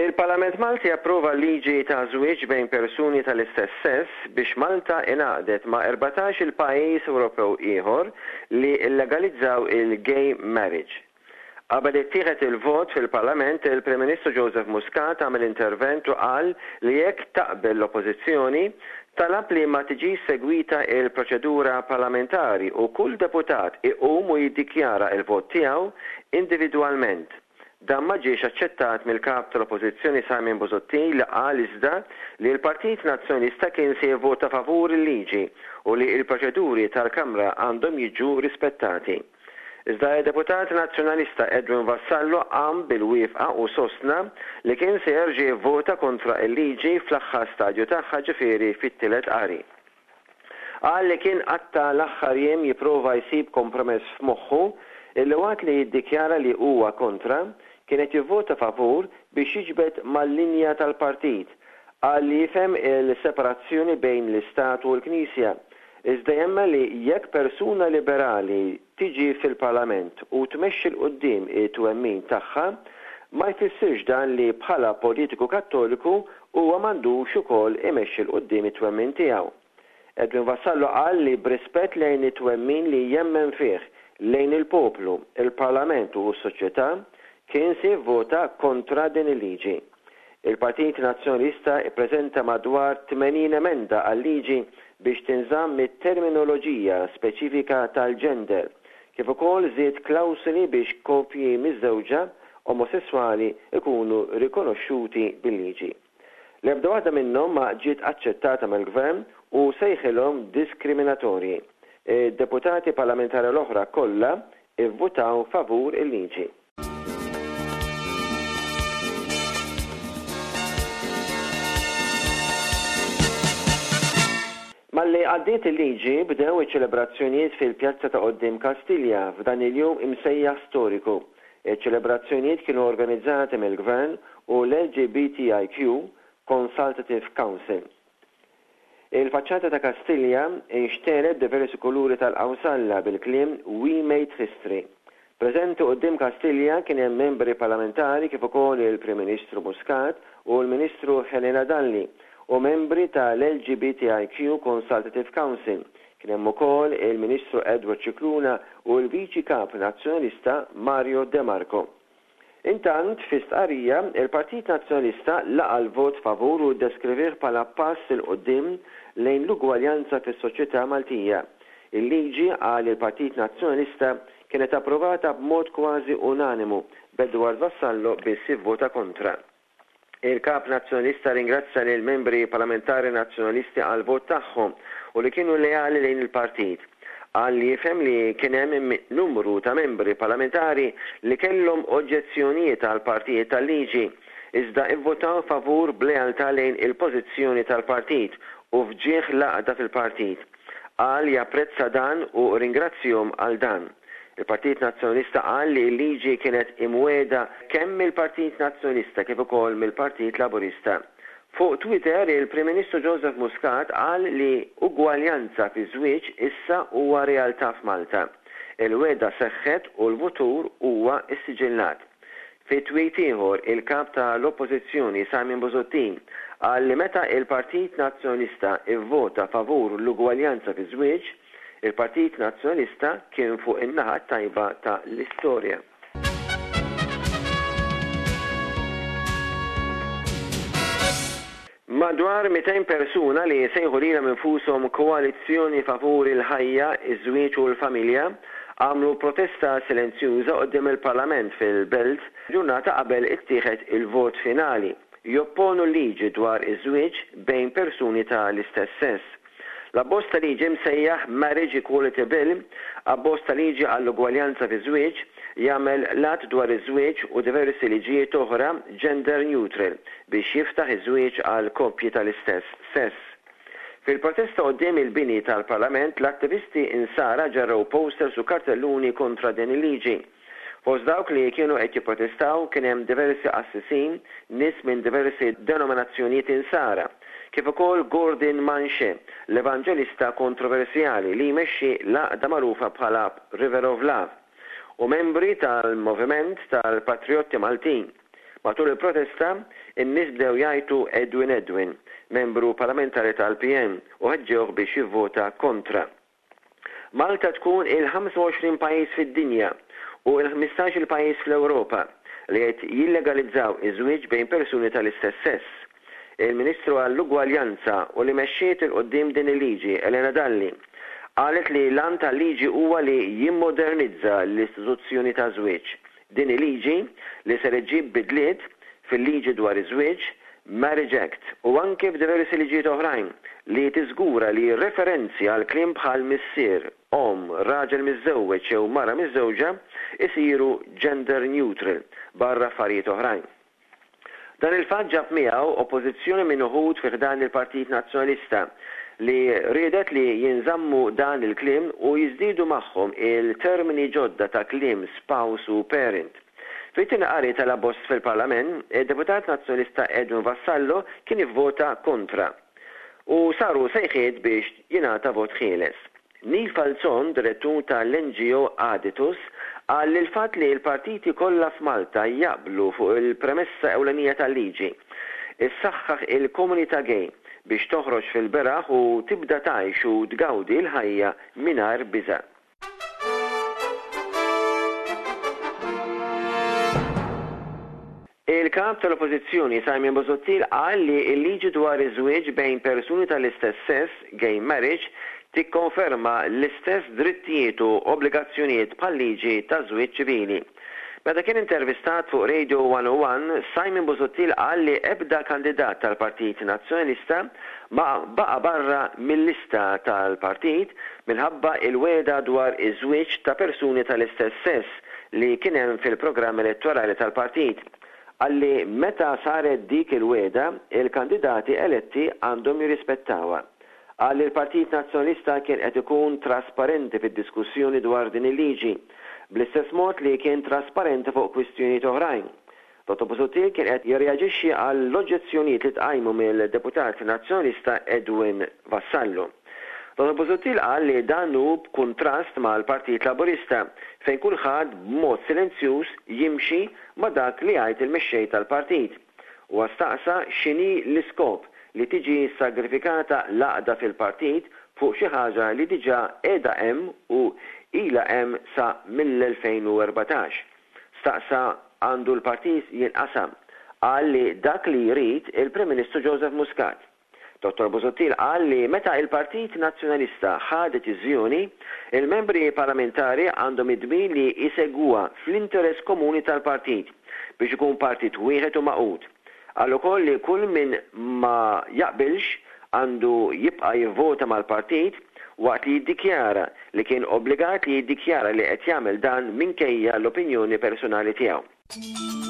Il-Parlament Malti approva l-liġi ta' żwieġ bejn persuni tal-istess sess biex Malta ingħaqdet ma' 14-il pajjiż Ewropew ieħor li llegalizzaw il-gay marriage. Qabel ittieħed il-vot fil-Parlament, il-Prim Ministru Joseph Muscat għamel intervent u qal li jekk taqbel l-Oppożizzjoni, talab li ma tiġix segwita il-proċedura parlamentari u kull deputat iqum u jiddikjara l-vot tiegħu individwalment. Dan ma ġiex aċċettat mill-Kap tal-Oppożizzjoni Simon Busuttil li qal iżda li l-Partit Nazzjonalista kien se jivvota favur il-liġi u li l-proċeduri tal-Kamra għandhom jiġu rispettati. Iżda d-Deputat Nazzjonalista Edwin Vassallo qam bil-wieqfa u sostna li kien se jerġa' jivvota kontra l-liġi fl-aħħar stadju tagħha ġifieri fit-tielet qari. Qal li kien qatta' l-aħħar jiem jipprova jsib kompromess f'moħħu illi waqt li jiddikjara li huwa kontra, kien qed jivvota favur biex jiġbed mal-linja tal-partit. Qal li jifhem il-separazzjoni bejn l-Istat u l-Knisja, iżda jemmen li jekk persuna liberali tiġi fil-Parlament u tmexxi 'l quddiem it-twemmin tagħha, ma jfissirx dan li bħala politiku Kattoliku huwa m'għandux ukoll imexxi 'l quddiem it-twemmin tiegħu. Edwin Vassallo qal li b'rispett lejn it-twemmin li jemmen fih, lejn il-poplu, il-Parlament u s-soċjetà, kien se jivvota kontra din il-liġi. Il-Partit Nazzjonalista ppreżenta madwar 80 emenda għal-liġi biex tinżamm it-terminoloġija speċifika tal-ġender, kif ukoll żied klawsoli biex koppji miżżewġa omosesswali jkunu rikonoxxuti bil-liġi. L-ebda waħda minnhom ma ġiet aċċettata mill-Gvern u sejħilhom diskriminatorji. Id-deputati parlamentari l-oħra kollha ivvutaw favur il-liġi. Malli għaddiet il-liġi, bdew iċ-ċelebrazzjonijiet fil-pjazza ta' quddiem Kastilja f'dan il-jum imsejjaħ storiku. Iċ-ċelebrazzjonijiet kienu organizzati mill-Gvern u l-LGBTIQ Consultative Council. Il-faċċata ta' Kastilja nxtegħlet b'diversi kuluri tal-qawsalla bil-kliem We Made History. Preżenti quddiem Kastilja kien hemm membri parlamentari kif ukoll il-Prim Ministru Muscat u l-Ministru Helena Dalli u membri tal-LGBTIQ Consultative Council. Kien hemm ukoll il-Ministru Edward Scicluna u l-Viċi Kap Nazzjonalista Mario De Marco. Intant, fi stqarrija, il-Partit Nazzjonalista laqa' l-vot favur u ddeskrivih bħala pass 'il quddiem lejn l-ugwaljanza fis-soċjetà Maltija. Il-liġi, qal il-Partit Nazzjonalista, kienet approvata b'mod kważi unanimu, b'Edward Vassallo biss ivvota kontra. Il-Kap Nazzjonalista rringrazzja lill-Membri Parlamentari Nazzjonalisti għall-vot tagħhom u li kienu leali lejn il-partit. Qal li jifhem li kien hemm numru ta' Membri Parlamentari li kellhom oġġezzjonijiet għal partijiet tal-liġi, iżda ivvotaw favur b'lealtà lejn il-pożizzjoni tal-partit u f'ġieħ l-għaqda fil-partit. Qal japprezza dan u rringrazzjhom għal dan. Il-Partit Nazzjonalista qal li l-liġi kienet imwiegħda kemm mill-Partit Nazzjonalista kif ukoll mill-Partit Laburista. Fuq Twitter, il-Prim Ministru Joseph Muscat qal li ugwaljanza fiż-żwieġ issa huwa realtà f'Malta. Il-wegħda seħħet u l-futur huwa ssiġillat. Fi tweet ieħor, il-Kap ta' l-Oppożizzjoni Simon Busuttil qal li meta il-Partit Nazzjonalista ivvota favur l-ugwaljanza fiż-żwieġ, Il-Partit Nazzjonalista kien fuq in-naħa t-tajba ta' l-istorja. Madwar 200 persuna li jsejħu lilhom infushom Koalizzjoni Favur il-Ħajja, iż-Żwieġ u l-Familja għamlu protesta silenzjuża quddiem il-Parlament fil-Belt ġurnata qabel ittieħed il-vot finali jopponu l-liġi dwar iż-żwieġ bejn persuni ta' l-istess sess. L-abbozz ta' liġi msejjaħ Marriage Equality Bill, Abbozz ta' Liġi għall-Ugwaljanza fiż-Żwieġ, jagħmel l-Att dwar iż-Żwieġ u diversi liġijiet oħra gender neutral biex jiftaħ iż-żwieġ għal koppji tal-istess sess. Fil-protesta quddiem il-bini tal-Parlament, l-attivisti Insara ġarrew posters u kartelluni kontra din il-liġi. Fost dawk li kienu qed jipprotestaw kien hemm diversi qassisin, nies minn diversi denominazzjonijiet Insara, kif ukoll Gordon Manche, l-evanġelista kontroversjali li jmexxi l-għaqda magħrufa bħala River of Love, u membri tal-Moviment tal-Patrijotti Maltin. Matul il-protesta, in-nies bdew jgħajtu Edwin Edwin, membru parlamentari tal-PN, u ħeġġewh biex jivvota kontra. Malta tkun il-25 pajjiż fid-dinja u l-ħmistax-il pajjiż fl-Ewropa li qed jillegalizzaw iż-żwieġ bejn persuni tal-istess sess. Il-Ministru għall-Ugwaljanza u li mexxiet 'il quddiem din il-liġi, Elena Dalli, qalet li l-għan tal-liġi huwa li jimmodernizza l-istituzzjoni taż-żwieġ. Din hi liġi li ser iġġib bidliet fil-liġi dwar iż-żwieġ, Marriage Act, u anke f'diversi liġijiet oħrajn li tiżgura li referenzi għal kliem bħal missier, omm, raġel miżżewweġ jew mara miżżewġa isiru gender neutral, barra affarijiet oħrajn. Dan il-fatt ġab miegħu oppożizzjoni minn uħud fi ħdan il-Partit Nazzjonalista li riedet li jinżammu dan il-kliem u jiżdiedu magħhom il-termini ġodda ta' kliem spouse u parent. Fit-tieni qari tal-abbozz fil-Parlament, id-Deputat Nazzjonalista Edwin Vassallo kien ivvota kontra u saru sejħiet biex jingħata vot ħieles. Neil Falzon, direttur ta' l-NGO Aditus, qal li l-fatt li l-partiti kollha f'Malta jaqblu fuq il-premessa ewlenija tal-liġi, issaħħaħ il-komunità gay biex toħroġ fil-beraħ u tibda tgħix u tgawdi l-ħajja mingħajr biża'. Il-Kap tal-Oppożizzjoni Simon Busuttil qal li l-liġi dwar iż-żwieġ bejn persuni tal-istess sess, gay marriage, tikkonferma l-istess drittijiet u obbligazzjonijiet bħal-liġi taż-żwieġ ċivili. Meta kien intervistat fuq Radio 101, Simon Busuttil qal li ebda kandidat tal-Partit Nazzjonalista ma baqa' barra mil-lista tal-partit minħabba l-wegħda dwar iż-żwieġ ta' persuni tal-istess sess li kien hemm fil-programm elettorali tal-partit. Qal li meta saret dik il-wegħda, il-kandidati eletti għandhom jirrispettawha. Qal li l-Partit Nazzjonalista kien qed ikun trasparenti fid-diskussjoni dwar din il-liġi, bl-istess mod li kien trasparenti fuq kwistjonijiet oħrajn. Dottor Busuttil kien qed jirreaġixxi għall-oġġezzjonijiet li tqajmu mill-Deputat Nazzjonalista Edwin Vassallo. Dottor Busuttil qal li dan hu b'kuntrast mal-Partit Laburista fejn kulħadd b'mod silenzjuż jimxi ma' dak li jgħid il-mexxej tal-partit. Huwa staqsa x'inhi l-iskop li tiġi ssagrifikata l-għaqda fil-partit fuq xi ħaġa li diġà qiegħda hemm u ilha hemm sa mill-2014. Staqsa għandu l-partit jinqasam. Qal li dak li jrid il-Prim Ministru Joseph Muscat. Dottor Busuttil qal li meta il-Partit Nazzjonalista ħa deċiżjoni, il-membri parlamentari għandhom id-dmir li jsegwuha fl-interess komuni tal-partit biex ikun partit wieħed u magħqud. Qal ukoll li kull min ma jaqbilx għandu jibqa' jivvota mal-partit waqt li jiddikjara li kien obbligat li jiddikjara li qed jagħmel dan minkejja l-opinjoni personali tiegħu.